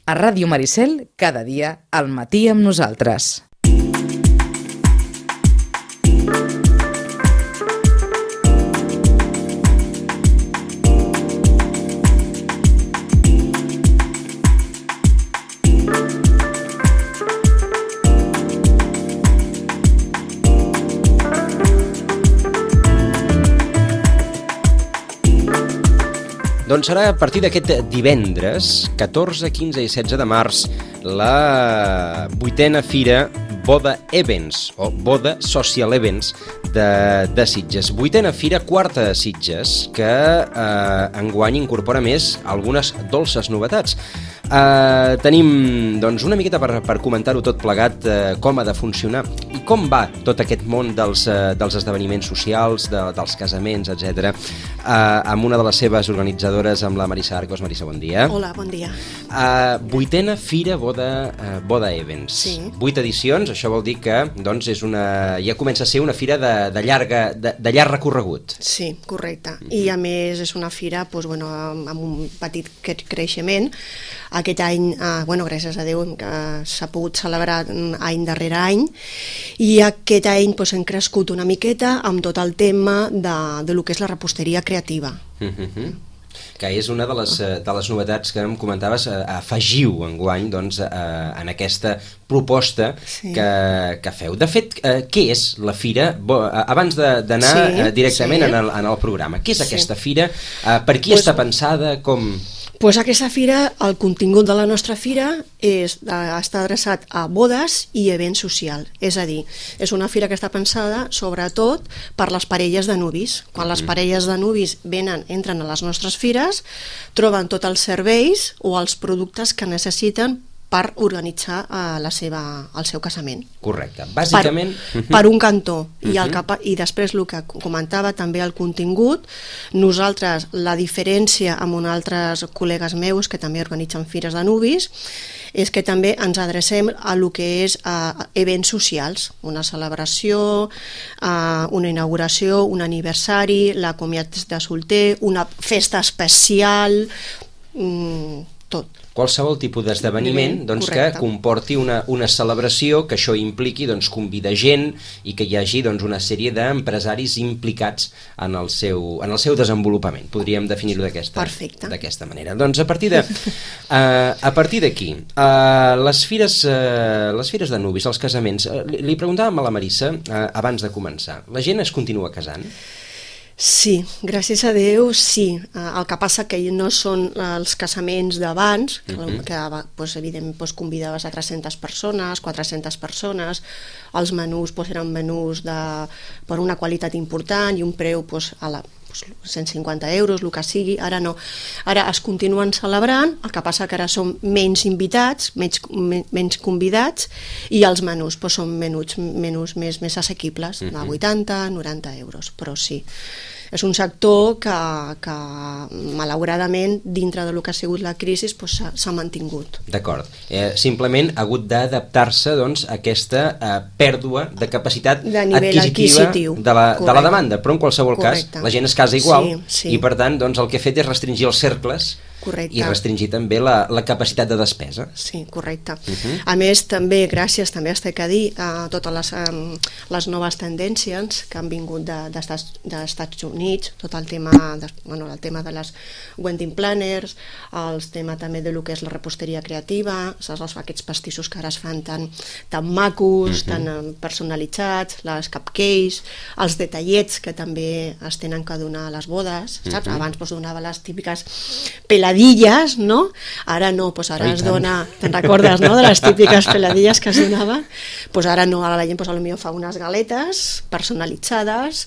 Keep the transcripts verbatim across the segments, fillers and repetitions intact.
A Ràdio Maricel, cada dia, al matí amb nosaltres. Doncs serà a partir d'aquest divendres, catorze, quinze i setze de març, la vuitena fira Boda Events, o Boda Social Events de, de Sitges. Vuitena fira, quarta de Sitges, que eh, enguany incorpora més algunes dolces novetats. Eh, tenim doncs, una miqueta per, per comentar-ho tot plegat, eh, com ha de funcionar i com va tot aquest món dels, eh, dels esdeveniments socials, de, dels casaments, etcètera, eh, amb una de les seves organitzadores, amb la Marissa Arcos. Marissa, bon dia. Hola, bon dia. Eh, vuitena fira Boda, eh, Boda Events. Sí. Vuit edicions, això vol dir que doncs, és una, ja comença a ser una fira de, de, llarga, de, de llarg recorregut. Sí, correcte. Mm-hmm. I a més és una fira doncs, bueno, amb, amb un petit creixement. Aquest any, eh, bueno, gràcies a Déu, eh, s'ha pogut celebrar any darrere any, i aquest any doncs, hem crescut una miqueta amb tot el tema de, de lo que és la reposteria creativa. Mm-hmm. Que és una de les, de les novetats que em comentaves, afegiu enguany doncs, en aquesta proposta sí. que, que feu. De fet, què és la fira? Abans d'anar sí, directament sí. en, el, en el programa, què és sí. aquesta fira? Per qui pues, està pensada? Com... Pues aquesta fira, el contingut de la nostra fira és, està adreçat a bodes i events socials. És a dir, és una fira que està pensada sobretot per les parelles de nuvis. Quan les parelles de nuvis venen, entren a les nostres fires, troben tots els serveis o els productes que necessiten per organitzar uh, la seva, el seu casament. Correcte. Bàsicament... Per, per un cantó. Uh-huh. I, el cap, I després el que comentava també el contingut, nosaltres la diferència amb uns altres col·legues meus que també organitzen fires de nuvis és que també ens adrecem a lo que és a events socials, una celebració, uh, una inauguració, un aniversari, la comiat de solter, una festa especial, um, tot. Qualsevol tipus d'esdeveniment doncs, que comporti una, una celebració, que això impliqui doncs, convidar gent i que hi hagi doncs, una sèrie d'empresaris implicats en el seu, en el seu desenvolupament. Podríem definir-ho d'aquesta d'aquesta manera. Doncs a partir de uh, a partir d'aquí, uh, les fires uh, les fires de nuvis, els casaments, uh, li, li preguntàvem a la Marissa uh, abans de començar, la gent es continua casant? Sí, gràcies a Déu, sí. El que passa que no són els casaments d'abans, uh-huh. que doncs, evidentment doncs, convidaves a tres-centes persones, quatre-centes persones, els menús doncs, eren menús de, per una qualitat important i un preu doncs, a la, doncs, cent cinquanta euros, el que sigui. Ara no. Ara es continuen celebrant, el que passa que ara són menys invitats, menys, menys convidats, i els menús doncs, són menús, menús més, més assequibles, uh-huh. de vuitanta a noranta euros, però sí. És un sector que, que malauradament, dintre del que ha sigut la crisi, doncs, s'ha mantingut. D'acord. Eh, simplement ha hagut d'adaptar-se doncs, a aquesta eh, pèrdua de capacitat de adquisitiva de la, de la demanda, però en qualsevol Correcte. cas la gent es casa igual sí, sí. i per tant doncs, el que ha fet és restringir els cercles Correcte. i restringir també la, la capacitat de despesa. Sí, correcte. Uh-huh. A més, també, gràcies, també has de dir a totes les, um, les noves tendències que han vingut d'Estats de, de Estats Units, tot el tema de, bueno, el tema de les wedding planners, el tema també de lo que és la reposteria creativa, saps, aquests pastissos que ara es fan tan, tan macos, uh-huh. tan um, personalitzats, les cupcakes, els detallets que també es tenen que donar a les bodes, saps? Uh-huh. Abans doncs, donava les típiques peladilles, no? Ara no, doncs ara es dona, te'n recordes, no?, de les típiques peladilles que es donaven? Doncs ara no, ara la gent doncs, potser fa unes galetes personalitzades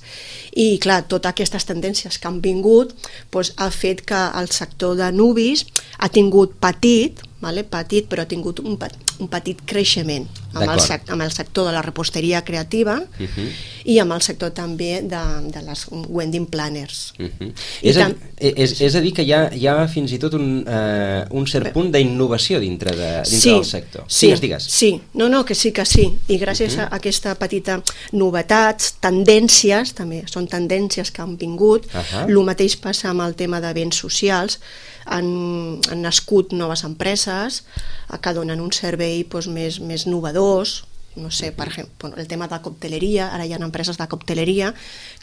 i, clar, totes aquestes tendències que han vingut doncs, ha fet que el sector de nuvis ha tingut petit, vale? petit, però ha tingut un, un petit creixement. amb el, sec, amb el sector de la reposteria creativa uh-huh. i amb el sector també de, de les wedding planners. Uh-huh. És, a, és, és a dir que hi ha, hi ha fins i tot un, uh, un cert punt d'innovació dintre, de, dintre sí, del sector. Sí, digues, digues. Sí, no, no, que sí, que sí. I gràcies uh-huh. a aquesta petita novetats, tendències, també són tendències que han vingut, uh-huh. el mateix passa amb el tema de béns socials, han, han nascut noves empreses que donen un servei doncs, més, més novedors, no sé, per exemple, el tema de cocteleria, ara hi ha empreses de cocteleria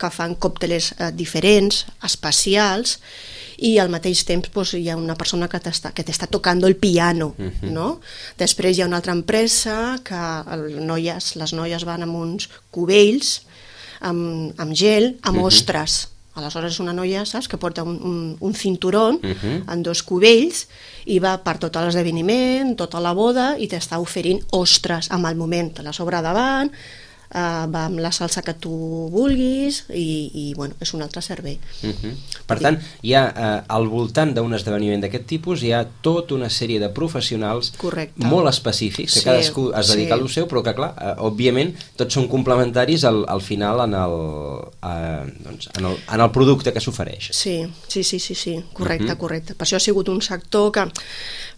que fan còctels eh, diferents, especials, i al mateix temps doncs, hi ha una persona que t'està que t'està tocant el piano, uh-huh. no? Després hi ha una altra empresa que el, noies, les noies van amb uns cubells amb, amb gel, amb uh-huh. ostres. Aleshores és una noia, saps, que porta un, un, un cinturó uh-huh. en dos cubells i va per tot l'esdeveniment, tota la boda, i t'està oferint ostres amb el moment, te la sobre davant, uh, va amb la salsa que tu vulguis i, i bueno, és un altre servei. Uh-huh. Per tant, hi ha uh, al voltant d'un esdeveniment d'aquest tipus hi ha tota una sèrie de professionals Correcte. Molt específics, que sí, cadascú es dedica sí. al seu, però que clar, uh, òbviament tots són complementaris al, al final en el, uh, doncs, en, el, en el producte que s'ofereix. Sí, sí, sí, sí, sí, correcte, uh-huh. correcte. Per això ha sigut un sector que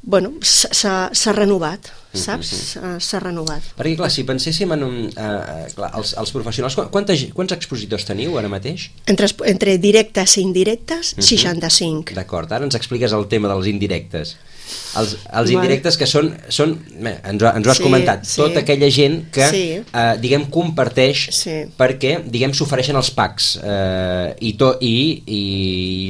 bueno, s'ha renovat, saps? Uh-huh. S'ha renovat. Perquè clar, si penséssim en un, uh, clar, els, els professionals, quantes, quants expositors teniu ara mateix? Entre, entre directes i indirectes, uh-huh. seixanta-cinc. D'acord, ara ens expliques el tema dels indirectes. Els, els indirectes que són, són bé, ens, ho, ens ho has sí, comentat, sí. tota aquella gent que sí. eh, diguem comparteix sí. perquè diguem s'ofereixen els packs eh, i, to, i, i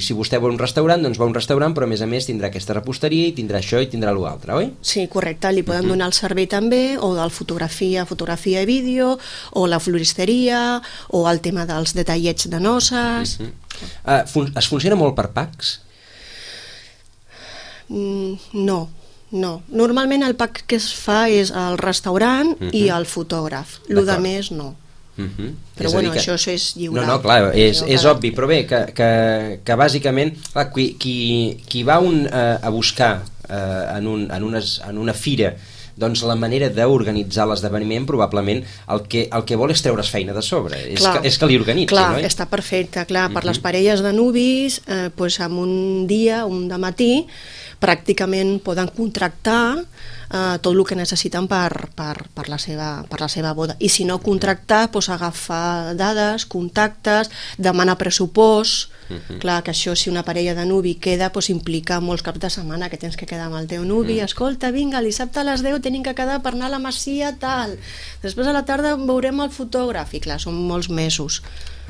si vostè vol un restaurant doncs va a un restaurant, però a més a més tindrà aquesta reposteria i tindrà això i tindrà l'altre, oi? Sí, correcte, li poden uh-huh. donar el servei també, o del fotografia, fotografia i vídeo, o la floristeria, o el tema dels detallets de noces. Uh-huh. uh, fun es funciona molt per packs? No, no. Normalment el pack que es fa és el restaurant uh-huh. i el fotògraf. Lo de més no. Uh-huh. Però bueno, que... això és lliure. No, no, clar, és, és cada... obvi, però bé, que, que, que bàsicament clar, qui, qui, qui va un, uh, a buscar uh, en, un, en, unes, en una fira doncs la manera d'organitzar l'esdeveniment probablement el que, el que vol és treure's feina de sobre, és, clar, que, és que li organitzi, clar, no? Està perfecte, clar, per uh-huh. les parelles de nuvis eh, doncs en un dia, un de matí pràcticament poden contractar eh, tot el que necessiten per, per, per, la seva, per la seva boda, i si no contractar, doncs agafar dades, contactes, demanar pressupost. Uh-huh. Clar, que això, si una parella de nuvi queda, doncs implica molts caps de setmana que tens que quedar amb el teu nuvi, uh-huh. escolta, vinga, dissabte a les deu tenim que quedar per anar a la masia, tal, després a la tarda veurem el fotògraf, i clar, són molts mesos.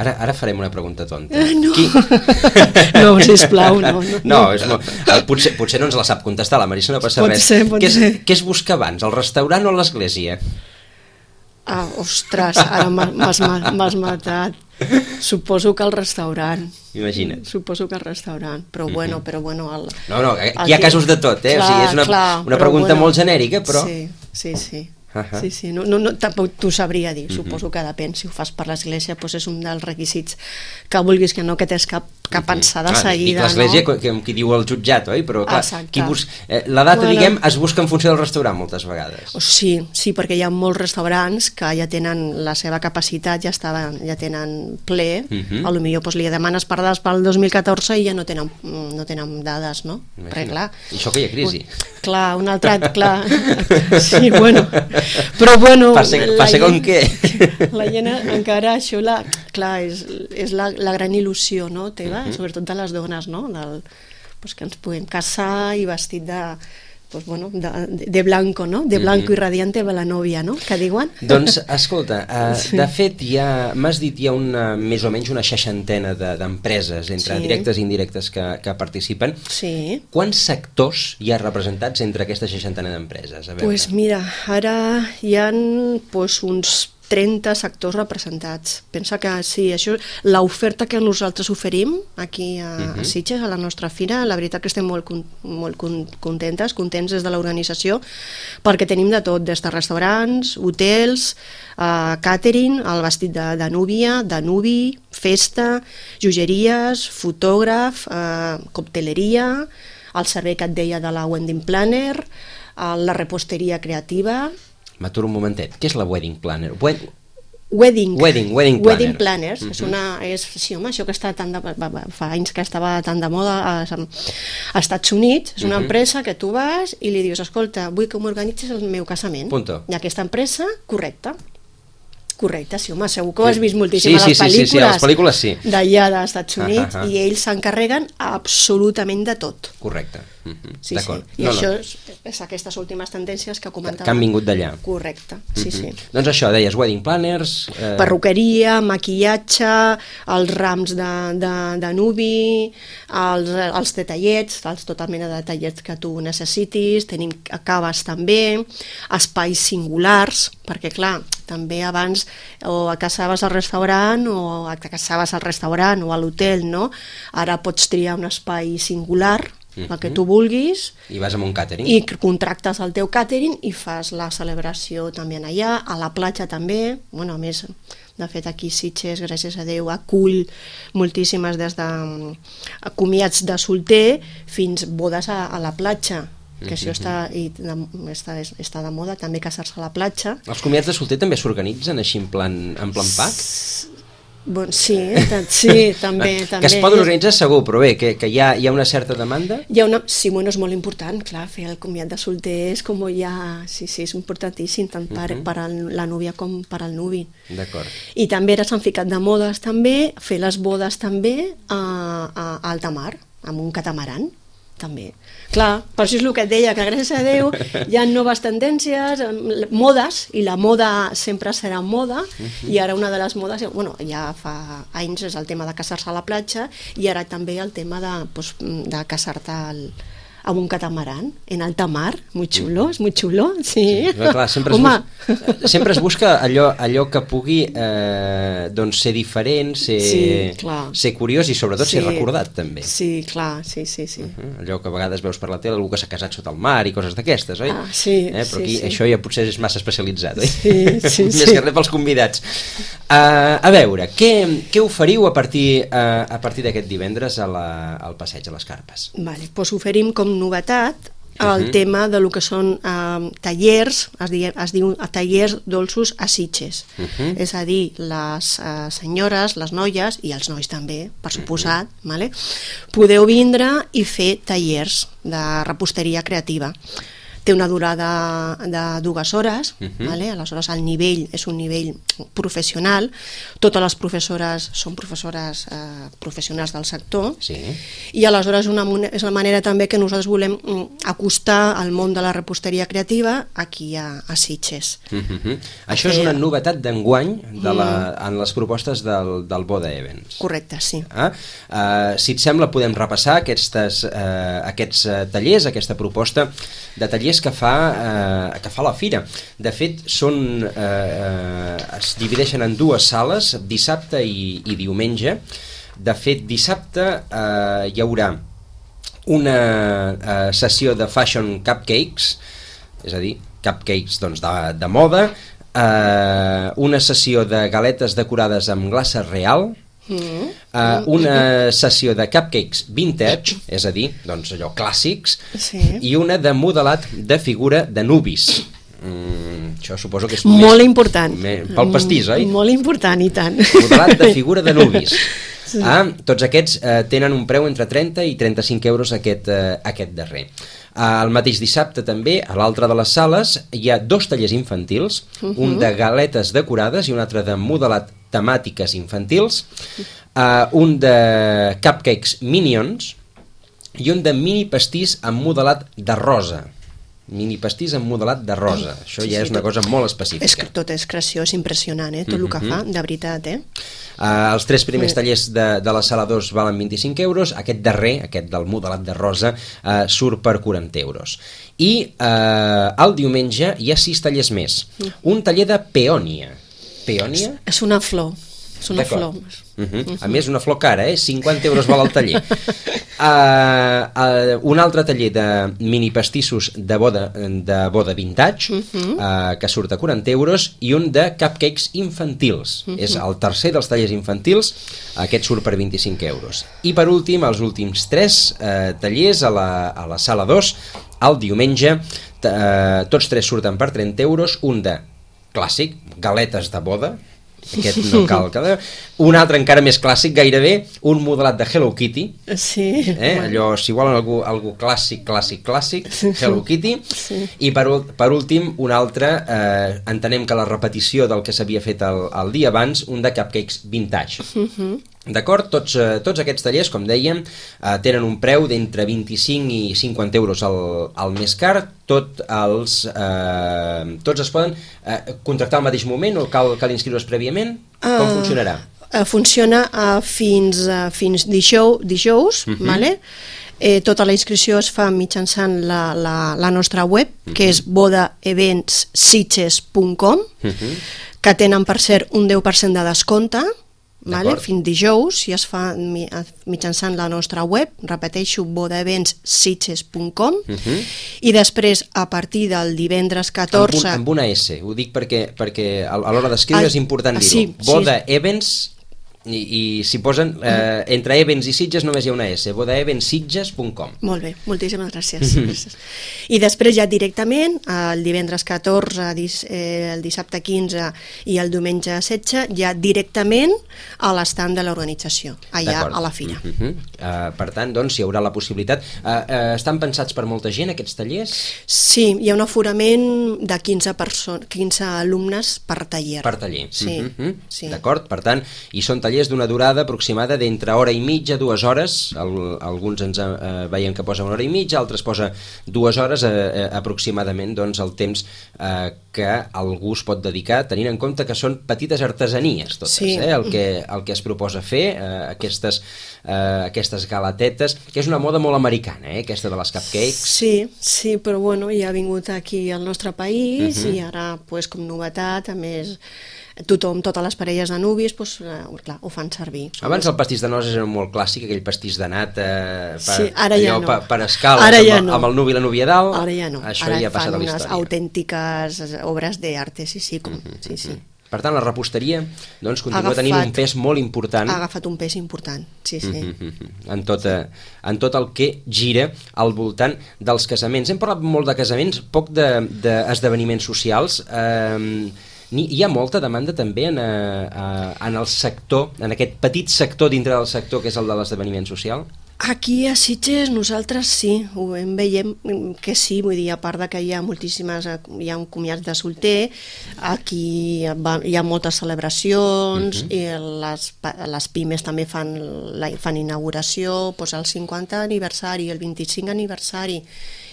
Ara, ara farem una pregunta tonta. Eh, no. Qui... no, sisplau, no. No, no és molt... potser, potser no ens la sap contestar, la Marisa no passa pot res. Ser, pot què, és, ser. Què es busca abans, el restaurant o l'església? Ah, ostres, ara m'has matat. Suposo que el restaurant. Imagina't. Suposo que el restaurant, però mm-hmm. bueno, però bueno... El, no, no, aquí hi ha casos de tot, eh? Clar, o sigui, és una, clar, una pregunta bueno, molt genèrica, però... Sí, sí, sí. Uh-huh. Sí, sí, no, no, no, tampoc t'ho sabria dir, uh-huh. suposo que depèn, si ho fas per l'església doncs és un dels requisits que vulguis que no, que tens cap, cap pensada uh-huh. seguida. Dic l'església, no? que, que diu el jutjat, oi? Però clar, qui bus... eh, la data, bueno, diguem, es busca en funció del restaurant moltes vegades. Sí, sí, perquè hi ha molts restaurants que ja tenen la seva capacitat, ja, estaven, ja tenen ple, uh-huh. a lo millor doncs, li demanes per dades pel dos mil catorze i ja no tenen, no tenen dades, no? Perquè, clar, I això que hi ha crisi. Clar, un altre, clar, sí, bueno, però bueno, passa, passa com què? La gent encara això, la, clar, és, és la, la gran il·lusió, no, teva, uh-huh. sobretot de les dones, no, Del, pues, que ens puguem casar i vestit de, pues, bueno, de, de blanco, no, de blanco uh-huh. i radiante de la nòvia, no, que diuen? Doncs, escolta, uh, sí. de fet, hi ha, m'has dit, hi ha una, més o menys una seixantena d'empreses, de, entre sí. directes i indirectes que, que participen. Sí. Quants sectors hi ha representats entre aquesta seixantena d'empreses? Doncs pues mira, ara hi ha pues, uns trenta sectors representats. Pensa que sí, això, l'oferta que nosaltres oferim aquí a, uh-huh. a Sitges, a la nostra fira, la veritat que estem molt, molt contentes, contents des de l'organització, perquè tenim de tot, des de restaurants, hotels, uh, catering, el vestit de, de núvia, de nuvi, festa, joieries, fotògraf, uh, cocteleria, el servei que et deia de la wedding planner, uh, la reposteria creativa. m'aturo un momentet. Què és la wedding planner? Wed... Wedding. Wedding, wedding planner. Wedding planners. Uh-huh. És una, és, sí, home, això que està tan de, fa anys que estava tan de moda als, als Estats Units. És una uh-huh. empresa que tu vas i li dius, escolta, vull que m'organitzis el meu casament. Punto. I aquesta empresa, correcte. Correcte, sí, home, segur que ho has vist moltíssim sí, a les sí, sí, pel·lícules, sí, sí, a les pel·lícules sí. d'allà dels Estats Units, uh -huh. i ells s'encarreguen absolutament de tot. Correcte. Uh -huh. Sí, d'acord. sí. I no, això no. és, és aquestes últimes tendències que comentàvem. Que han vingut d'allà. Correcte, sí, uh -huh. sí. Doncs això, deies wedding planners... Eh... Perruqueria, maquillatge, els rams de, de, de nuvi, els, els detallets, els, tota mena de detallets que tu necessitis, tenim caves també, espais singulars, perquè clar, també abans o a casaves al restaurant o a casaves al restaurant o a l'hotel, no? Ara pots triar un espai singular, el que tu vulguis, i vas amb un càtering i contractes el teu càtering i fas la celebració també allà, a la platja també. Bueno, a més, de fet aquí Sitges, gràcies a Déu, acull moltíssimes des de comiats de solter fins bodes a, a la platja, que això està, i de, està, està de moda també, casar-se a la platja. Els comiats de solter també s'organitzen així en plan, en plan pack? Bon, sí, sí, també, també. Que es poden organitzar segur, però bé, que, que hi, ha, hi ha una certa demanda? Hi ha una, sí, bueno, és molt important, clar, fer el comiat de solter és com ja, sí, sí, és importantíssim, tant per, uh-huh. per al, la núvia com per al nuvi. D'acord. I també ara s'han ficat de modes també, fer les bodes també a, a, a alta mar, amb un catamaran, també. Clar, per això és el que et deia, que gràcies a Déu hi ha noves tendències, modes, i la moda sempre serà moda, uh-huh. i ara una de les modes, bueno, ja fa anys és el tema de casar-se a la platja, i ara també el tema de, pues, de casar-te al, amb un catamaran en alta mar, muy xulo, és muy xulo, sí. sí clar, sempre, es busca, sempre es busca allò, allò que pugui eh, doncs ser diferent, ser, sí, ser curiós i sobretot sí. ser recordat també. Sí, clar, sí, sí, sí. Uh-huh. Allò que a vegades veus per la tele, algú que s'ha casat sota el mar i coses d'aquestes, oi? Ah, sí, eh, però aquí sí, sí. això ja potser és massa especialitzat, oi? Sí, sí, Més sí. que res pels convidats. Uh, a veure, què, què oferiu a partir, uh, a partir d'aquest divendres a la, al passeig a les Carpes? Vale, doncs oferim com novetat el uh-huh. tema de lo que són eh, tallers, es, di, es diu tallers dolços a Sitges, uh-huh. és a dir, les eh, senyores, les noies i els nois també, per suposat, uh-huh. vale? Podeu vindre i fer tallers de reposteria creativa. Té una durada de dues hores, uh-huh. vale? Aleshores el nivell és un nivell professional, totes les professores són professores eh, professionals del sector, sí. i aleshores una, és una manera també que nosaltres volem acostar al món de la reposteria creativa aquí a, a Sitges. Uh-huh. Això és una novetat d'enguany de la, en les propostes del, del Boda Events. Correcte, sí. Ah? Uh, si et sembla podem repassar aquestes, uh, aquests uh, tallers, aquesta proposta de tallers que fa, eh, que fa la fira. De fet, són, eh, es divideixen en dues sales, dissabte i, i diumenge. De fet, dissabte eh, hi haurà una eh, sessió de fashion cupcakes, és a dir, cupcakes doncs, de, de moda, eh, una sessió de galetes decorades amb glaça real, Mm. Uh, una sessió de cupcakes vintage, és a dir, doncs allò clàssics, sí. i una de modelat de figura de nubis. Mm, això suposo que és molt més, important més, pel pastís, oi? Molt important, i tant. Modelat de figura de nubis. Sí. Ah, tots aquests eh, tenen un preu entre trenta i trenta-cinc euros aquest, eh, aquest darrer. Uh, el mateix dissabte també, a l'altra de les sales, hi ha dos tallers infantils, uh-huh. un de galetes decorades i un altre de modelat temàtiques infantils, uh, un de cupcakes Minions i un de mini pastís amb modelat de rosa. Mini pastís amb modelat de rosa. Això sí, ja sí, és una cosa molt específica. És que tot és creació, és impressionant, eh? Tot mm-hmm. el que fa, de veritat, eh? Uh, els tres primers tallers de, de la sala dos valen vint-i-cinc euros, aquest darrer, aquest del modelat de rosa, uh, surt per quaranta euros. I uh, el diumenge hi ha sis tallers més. Mm. Un taller de peònia. Peònia? És, és una flor. És una flor. Uh-huh. Uh-huh. A més, una flor cara, eh? cinquanta euros val el taller. uh, uh, un altre taller de mini pastissos de boda, de boda vintage, uh-huh. uh, que surt a quaranta euros, i un de cupcakes infantils. Uh-huh. És el tercer dels tallers infantils, aquest surt per vint-i-cinc euros. I per últim, els últims tres uh, tallers a la, a la sala dos, el diumenge, eh, tots tres surten per trenta euros, un de clàssic, galetes de boda, aquest no cal que... Un altre encara més clàssic, gairebé, un modelat de Hello Kitty. Sí. Eh? Allò, si volen algú, algú clàssic, clàssic, clàssic, Hello Kitty. Sí. I per, per últim, un altre, eh, entenem que la repetició del que s'havia fet el, el dia abans, un de cupcakes vintage. Uh-huh. D'acord? Tots, eh, tots aquests tallers, com dèiem, eh, tenen un preu d'entre vint-i-cinc i cinquanta euros al, al més car. Tot els, eh, tots es poden eh, contractar al mateix moment o cal, cal inscriure's prèviament? Com uh, funcionarà? Uh, funciona uh, fins, uh, fins dijous, dijous uh-huh. vale? Eh, tota la inscripció es fa mitjançant la, la, la nostra web, uh-huh. que és boda events sitges punt com, uh-huh. que tenen, per cert, un deu per cent de descompte, vale? Fins dijous, si es fa mitjançant la nostra web, repeteixo, boda events sitges punt com, uh-huh. i després, a partir del divendres catorze... Amb, un, amb una S, ho dic perquè, perquè a l'hora d'escriure ah, és important dir-ho. Sí, boda sí. Events... I, i si posen eh, entre Events i Sitges només hi ha una S, boda events sitges punt com. Molt bé, moltíssimes gràcies. gràcies. I després ja directament el divendres catorze, eh, el dissabte quinze i el diumenge setze, ja directament a l'estand de l'organització, allà a la fira. Uh -huh. uh, per tant, doncs, hi haurà la possibilitat. Uh, uh, estan pensats per molta gent aquests tallers? Sí, hi ha un aforament de quinze, quinze alumnes per taller. Per taller. Sí, uh -huh. sí. D'acord, per tant, i són tallers d'una durada aproximada d'entre hora i mitja, dues hores. El, alguns ens eh, veiem que posa una hora i mitja, altres posa dues hores, eh, eh, aproximadament, doncs, el temps eh, que algú es pot dedicar, tenint en compte que són petites artesanies totes, sí. eh? el, que, el que es proposa fer, eh, aquestes, eh, aquestes galatetes, que és una moda molt americana, eh? Aquesta de les cupcakes. Sí, sí, però bueno, ja ha vingut aquí al nostre país uh-huh. i ara, pues, com novetat, a més... tothom, totes les parelles de nuvis, doncs, eh, clar, ho fan servir. Abans el pastís de noces era molt clàssic, aquell pastís de nata eh, per, sí, ara ja allò, no. per, per escales, ara ja amb, no. amb el nuvi i la núvia dalt. Ara ja no. Això ara ja ha passat a la història. Ara fan unes autèntiques obres d'arte, sí, sí, com, uh-huh, sí, sí. Per tant, la reposteria doncs, continua agafat, tenint un pes molt important. Ha agafat un pes important, sí, sí. Uh-huh, en, tot, en tot el que gira al voltant dels casaments. Hem parlat molt de casaments, poc d'esdeveniments socials. Eh, hi ha molta demanda també en, en el sector, en aquest petit sector dintre del sector que és el de l'esdeveniment social? Aquí a Sitges nosaltres sí, ho veiem que sí, vull dir, a part de que hi ha moltíssimes, hi ha un comiats de solter, aquí hi ha moltes celebracions, uh-huh. i les, les pimes també fan, la, fan inauguració, doncs el cinquanta aniversari, el vint-i-cinc aniversari,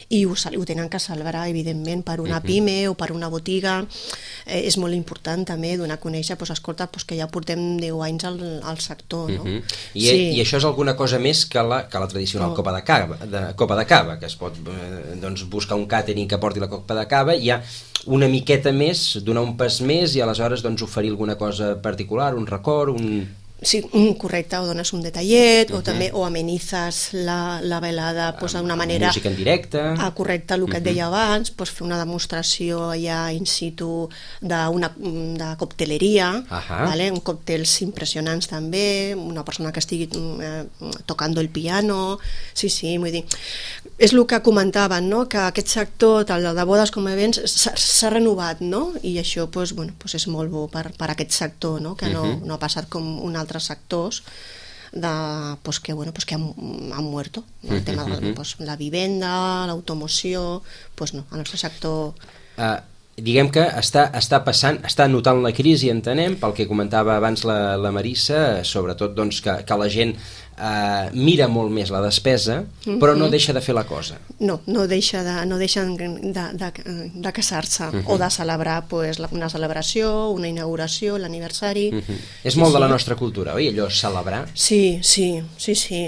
i ho, ho tenen que celebrar, evidentment, per una pime o per una botiga. Eh, és molt important també donar a conèixer, doncs, escolta, doncs, que ja portem deu anys al, al sector, no? Uh-huh. I, sí. I això és alguna cosa més que la, que la tradicional oh. copa de cava, de, copa de cava, que es pot eh, doncs, buscar un càtering que porti la copa de cava, i hi ha una miqueta més, donar un pas més i aleshores doncs, oferir alguna cosa particular, un record, un... Sí, correcte, o dones un detallet, uh-huh. o també o amenitzes la, la velada pues, d'una manera... Música en directe... Ah, correcte, el que uh-huh. et deia abans, pues, fer una demostració allà in situ d'una de cocteleria, uh-huh. vale? Còctels impressionants també, una persona que estigui eh, tocant el piano... Sí, sí, vull dir... És el que comentaven, no? Que aquest sector, el de bodes com a events, s'ha renovat, no? I això pues, bueno, pues és molt bo per, per aquest sector, no? Que no, uh-huh. no ha passat com un altres sectors de, pues que, bueno, pues que han, han muerto, ¿no? El tema de pues, la vivenda, l'automoció, pues no, el nostre sector... Uh, diguem que està, està passant, està notant la crisi, entenem, pel que comentava abans la, la Marissa, sobretot doncs, que, que la gent uh, mira molt més la despesa, uh-huh. però no deixa de fer la cosa. No, no deixa de, no deixen de, de, de casar-se uh-huh. o de celebrar pues, una celebració, una inauguració, l'aniversari. Uh-huh. És molt sí, de la nostra cultura, oi? Allò celebrar? Sí, sí, sí, sí,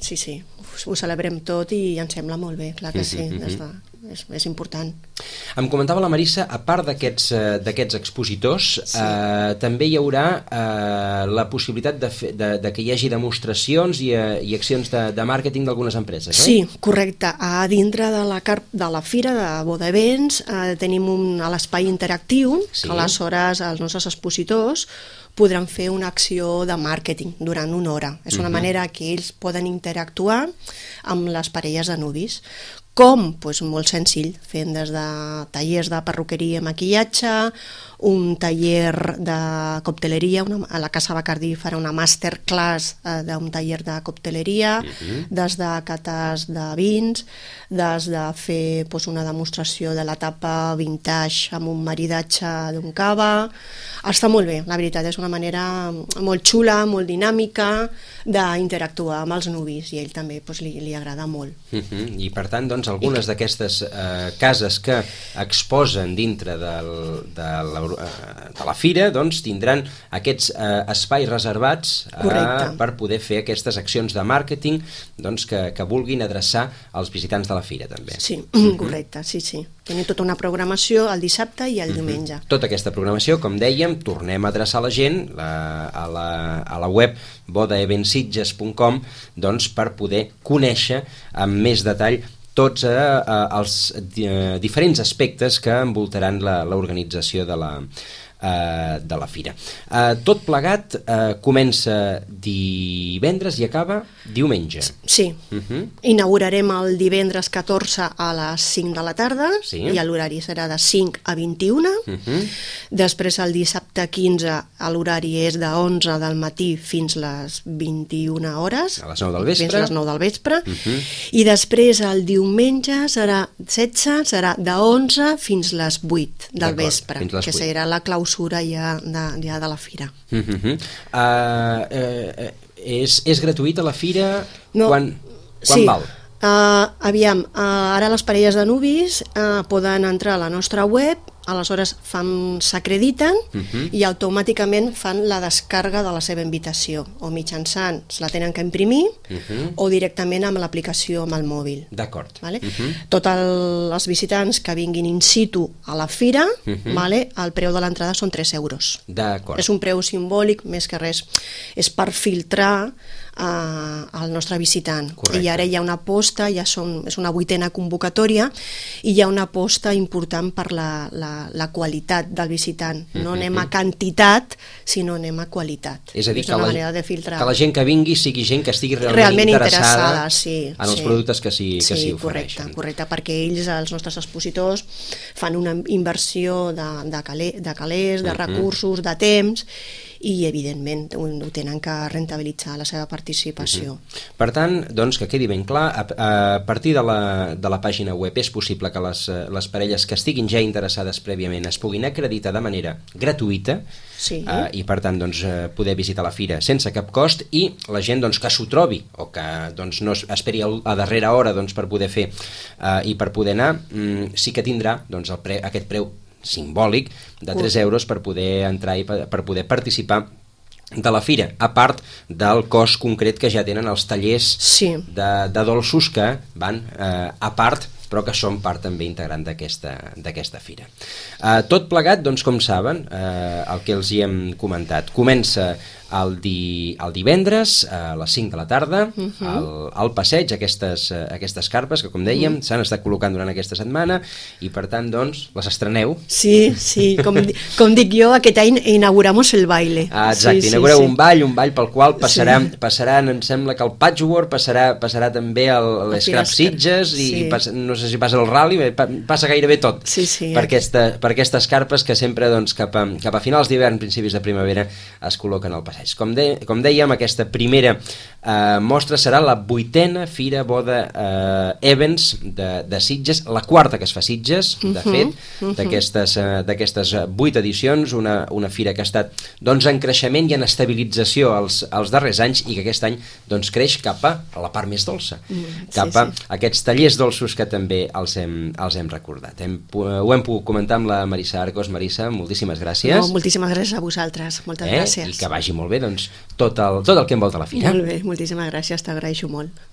sí, sí. Ho celebrem tot i ens sembla molt bé, clar que sí, uh-huh. des de... És, és important. Em comentava la Marissa, a part d'aquests d'aquests expositors, sí. eh, també hi haurà eh, la possibilitat de, fe, de, de que hi hagi demostracions i, eh, i accions de, de màrqueting d'algunes empreses, oi? Sí, correcte. A dintre de la, de la fira de Boda Events eh, tenim un, a l'espai interactiu, sí. que aleshores els nostres expositors podran fer una acció de màrqueting durant una hora. És una uh-huh. manera que ells poden interactuar amb les parelles de nuvis. Com? Pues molt senzill, fent des de tallers de perruqueria i maquillatge, un taller de cocteleria, una, a la Casa Bacardí farà una masterclass eh, d'un taller de cocteleria, uh-huh. des de cates de vins, des de fer pues, una demostració de l'etapa vintage amb un maridatge d'un cava. Està molt bé, la veritat, és una manera molt xula, molt dinàmica d'interactuar amb els nuvis i a ell també pues, li, li agrada molt. Uh-huh. I per tant, doncs, algunes que... d'aquestes eh, cases que exposen dintre del, de, la, de la fira doncs, tindran aquests eh, espais reservats eh, per poder fer aquestes accions de màrqueting doncs, que, que vulguin adreçar als visitants de la fira també. Sí, uh-huh. correcte, sí, sí. Tenim tota una programació el dissabte i el uh-huh. diumenge. Tota aquesta programació, com dèiem, tornem a adreçar la gent la, a, la, a la web boda events sitges punt com doncs, per poder conèixer amb més detall tots eh, els eh, diferents aspectes que envoltaran l'organització de la Uh, de la fira. Uh, tot plegat uh, comença divendres i acaba diumenge. Sí. Uh-huh. Inaugurarem el divendres catorze a les cinc de la tarda sí. i l'horari serà de cinc a vint-i-una. Uh-huh. Després el dissabte quinze l'horari és de onze del matí fins les vint-i-una hores. A les nou del vespre. Fins a les nou del vespre. Uh-huh. I després el diumenge serà setze, serà de onze fins les vuit del vespre, que serà la clausura ja de, ja de la fira. Uh-huh. uh, uh, és, és gratuïta la fira? No, quan quan sí. val? Uh, aviam, uh, ara les parelles de nuvis uh, poden entrar a la nostra web, aleshores s'acrediten uh-huh. i automàticament fan la descàrrega de la seva invitació, o mitjançant se la tenen que imprimir uh-huh. o directament amb l'aplicació amb el mòbil. D'acord. Vale? Uh-huh. Tots el, els visitants que vinguin in situ a la fira, uh-huh. vale? El preu de l'entrada són tres euros. D'acord. És un preu simbòlic, més que res, és per filtrar Uh, al nostre visitant. Correcte. I ara hi ha una aposta, ja són, és una vuitena convocatòria, i hi ha una aposta important per la, la, la qualitat del visitant. No anem a quantitat, sinó anem a qualitat. És a dir, és que, una la, manera de filtrar. que la gent que vingui sigui gent que estigui realment, realment interessada, interessada sí, en els sí. productes que s'hi sí, si correcte, ofereixen. correcte, perquè ells, els nostres expositors, fan una inversió de, de, calé, de calés, de uh-huh. recursos, de temps, i evidentment ho, ho tenen que rentabilitzar la seva participació. Uh-huh. Per tant, doncs, que quedi ben clar, a, a partir de la, de la pàgina web és possible que les, les parelles que estiguin ja interessades prèviament es puguin acreditar de manera gratuïta sí. uh, i per tant doncs, poder visitar la fira sense cap cost, i la gent doncs, que s'ho trobi o que doncs, no esperi a darrera hora doncs, per poder fer uh, i per poder anar, um, sí que tindrà doncs, el pre, aquest preu simbòlic de tres euros per poder entrar i per, per poder participar de la fira, a part del cost concret que ja tenen els tallers sí. de, de dolços que van eh, a part, però que són part també integrant d'aquesta fira. Eh, tot plegat, doncs, com saben, eh, el que els hi hem comentat, comença el, di, el divendres a les cinc de la tarda, uh-huh. al, al passeig, aquestes, aquestes carpes que, com dèiem, uh-huh. s'han estat col·locant durant aquesta setmana i, per tant, doncs, les estreneu. Sí, sí, com, com dic jo, aquest any inauguramos el baile. Ah, exacte, sí, inaugureu sí, sí. un ball, un ball pel qual passarà, sí. passaran, em sembla que el patchwork, passarà, passarà també l'Scrap Sitges i sí. passa, no sé si passa el rally, passa gairebé tot sí, sí, per, aquesta, per aquestes carpes que sempre doncs, cap, a, cap a finals d'hivern, principis de primavera es col·loquen al passeig. Com, de, com dèiem, aquesta primera eh, mostra serà la vuitena Fira Boda eh, Events de, de Sitges, la quarta que es fa a Sitges, de uh-huh, fet, uh-huh. d'aquestes eh, vuit edicions, una, una fira que ha estat doncs, en creixement i en estabilització els, els darrers anys i que aquest any doncs, creix cap a la part més dolça, mm, cap sí, a sí. aquests tallers dolços que també els hem, els hem recordat. Hem, ho hem pogut comentar amb la Marissa Arcos. Marissa, moltíssimes gràcies. No, moltíssimes gràcies a vosaltres, moltes eh? gràcies. I que vagi molt bé doncs, tot, el, tot el que envolta la fira. Molt bé, moltíssimes gràcies, t'agraeixo molt.